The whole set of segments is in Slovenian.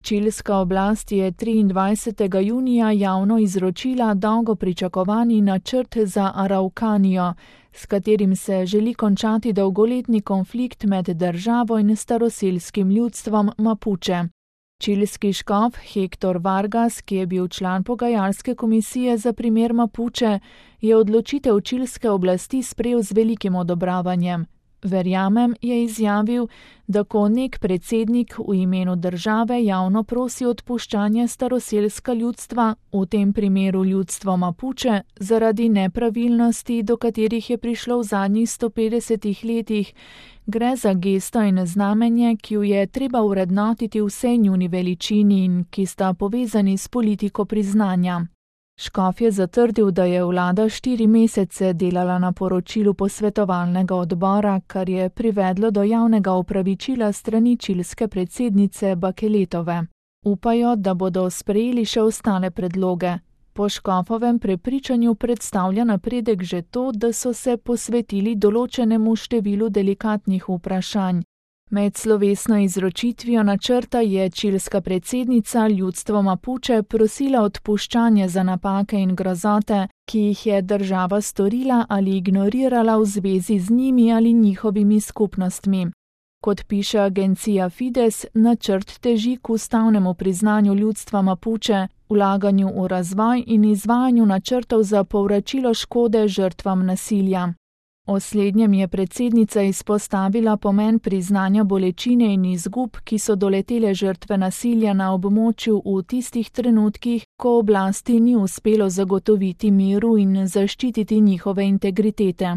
Čilska oblast je 23. junija javno izročila dolgo pričakovani načrt za Araukanijo, s katerim se želi končati dolgoletni konflikt med državo in staroselskim ljudstvom Mapuče. Čilski škof Hector Vargas, ki je bil član pogajalske komisije za primer Mapuče, je odločitev čilske oblasti sprejel z velikim odobravanjem. Verjamem, je izjavil, da ko nek predsednik v imenu države javno prosi odpuščanje staroselska ljudstva, v tem primeru ljudstvo Mapuče, zaradi nepravilnosti, do katerih je prišlo v zadnjih 150 letih, gre za gesto in znamenje, ki jo je treba vrednotiti vsej njuni veličini in ki sta povezani s politiko priznanja. Škof je zatrdil, da je vlada 4 mesece delala na poročilu posvetovalnega odbora, kar je privedlo do javnega opravičila strani čilske predsednice Bakeletove. Upajo, da bodo sprejeli še ostale predloge. Po škofovem prepričanju predstavlja napredek že to, da so se posvetili določenemu številu delikatnih vprašanj. Med slovesno izročitvijo načrta je čilska predsednica ljudstvo Mapuče prosila odpuščanje za napake in grozote, ki jih je država storila ali ignorirala v zvezi z njimi ali njihovimi skupnostmi. Kot piše agencija Fides, načrt teži k ustavnemu priznanju ljudstva Mapuče, vlaganju v razvoj in izvajanju načrtov za povračilo škode žrtvam nasilja. O slednjem je predsednica izpostavila pomen priznanja bolečine in izgub, ki so doletele žrtve nasilja na območju v tistih trenutkih, ko oblasti ni uspelo zagotoviti miru in zaščititi njihove integritete.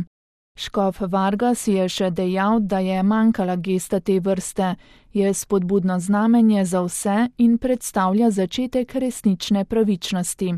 Škof Vargas je še dejal, da je manjkala gesta te vrste, je spodbudno znamenje za vse in predstavlja začetek resnične pravičnosti.